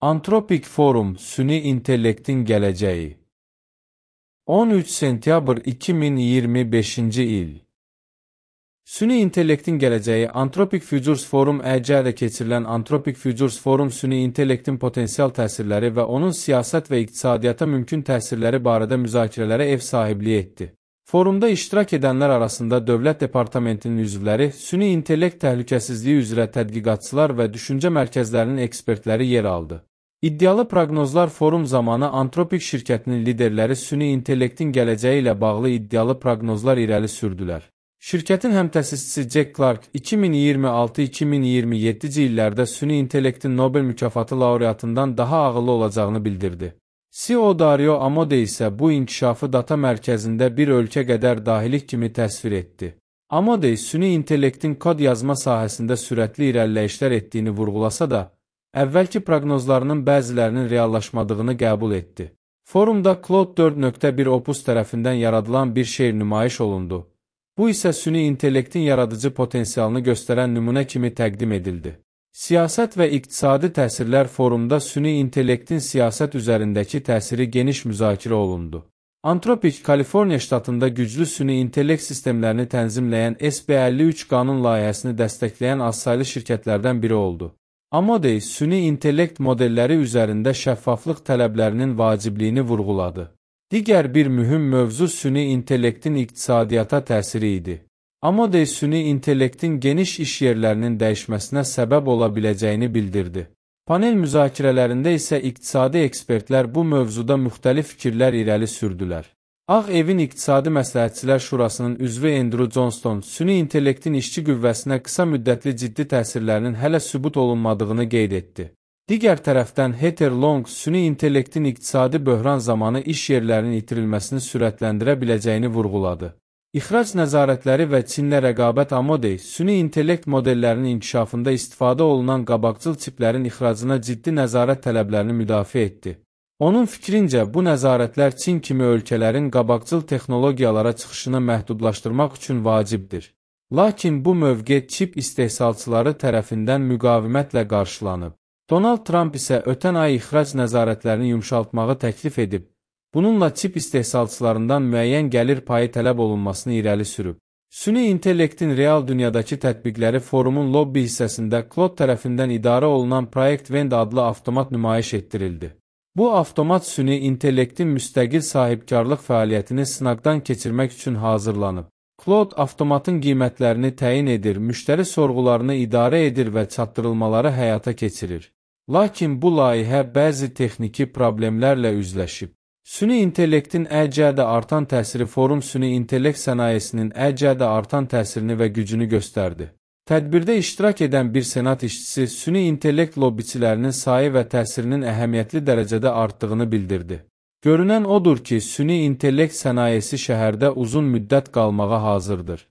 Antropik Forum Süni İntellektin Gələcəyi 13 sentyabr 2025-ci il Süni İntellektin Gələcəyi Anthropic Futures Forum EC'də keçirilən Anthropic Futures Forum süni intellektin potensial təsirləri və onun siyasət və iqtisadiyyata mümkün təsirləri barədə müzakirələrə ev sahibliyi etdi. Forumda iştirak edənlər arasında Dövlət Departamentinin üzvləri, süni intellekt təhlükəsizliyi üzrə tədqiqatçılar və düşüncə mərkəzlərinin ekspertləri yer aldı. İddialı proqnozlar forum zamanı Anthropic şirkətinin liderləri süni intellektin gələcəyi ilə bağlı iddialı proqnozlar irəli sürdülər. Şirkətin həmtəsisçisi Jack Clark 2026-2027-ci illərdə süni intellektin Nobel mükafatı laureatından daha ağıllı olacağını bildirdi. CEO Dario Amodei isə bu inkişafı data mərkəzində bir ölkə qədər dahilik kimi təsvir etdi. Amodei süni intellektin kod yazma sahəsində sürətli irəliləyişlər etdiyini vurğulasa da, əvvəlki proqnozlarının bəzilərinin reallaşmadığını qəbul etdi. Forumda Claude 4.1 Opus tərəfindən yaradılan bir şeir nümayiş olundu. Bu isə süni intellektin yaradıcı potensialını göstərən nümunə kimi təqdim edildi. Siyasət və iqtisadi təsirlər forumda süni intellektin siyasət üzərindəki təsiri geniş müzakirə olundu. Anthropic, Kaliforniya ştatında güclü süni intellekt sistemlərini tənzimləyən SB53 qanun layihəsini dəstəkləyən azsaylı şirkətlərdən biri oldu. Amodei, süni intellekt modelləri üzərində şəffaflıq tələblərinin vacibliyini vurğuladı. Digər bir mühüm mövzu süni intellektin iqtisadiyyata təsiri idi. Amodei süni intellektin geniş iş yerlərinin dəyişməsinə səbəb ola biləcəyini bildirdi. Panel müzakirələrində isə iqtisadi ekspertlər bu mövzuda müxtəlif fikirlər irəli sürdülər. Ağ Evin İqtisadi Məsləhətçilər Şurasının üzvü Andrew Johnston süni intellektin işçi qüvvəsinə qısa müddətli ciddi təsirlərinin hələ sübut olunmadığını qeyd etdi. Digər tərəfdən Heather Long süni intellektin iqtisadi böhran zamanı iş yerlərinin itirilməsini sürətləndirə biləcəyini vurğuladı. İxrac nəzarətləri və Çinlə rəqabət Amodei, süni intellekt modellərinin inkişafında istifadə olunan qabaqcıl çiplərin ixracına ciddi nəzarət tələblərini müdafiə etdi. Onun fikrincə, bu nəzarətlər Çin kimi ölkələrin qabaqcıl texnologiyalara çıxışını məhdudlaşdırmaq üçün vacibdir. Lakin bu mövqe çip istehsalçıları tərəfindən müqavimətlə qarşılanıb. Donald Trump isə ötən ay ixrac nəzarətlərini yumşaltmağı təklif edib. Bununla çip istehsalçılarından müəyyən gəlir payı tələb olunmasını irəli sürüb. Süni intellektin real dünyadakı tətbiqləri forumun lobby hissəsində Claude tərəfindən idarə olunan Project Vend adlı avtomat nümayiş etdirildi. Bu avtomat süni intellektin müstəqil sahibkarlıq fəaliyyətini sınaqdan keçirmək üçün hazırlanıb. Claude avtomatın qiymətlərini təyin edir, müştəri sorğularını idarə edir və çatdırılmaları həyata keçirir. Lakin bu layihə bəzi texniki problemlərlə üzləşib. Süni intellektin EC'də artan təsiri forum süni intellekt sənayesinin EC'də artan təsirini və gücünü göstərdi. Tədbirdə iştirak edən bir senat işçisi süni intellekt lobbiçilərinin sayı və təsirinin əhəmiyyətli dərəcədə artdığını bildirdi. Görünən odur ki, süni intellekt sənayesi şəhərdə uzun müddət qalmağa hazırdır.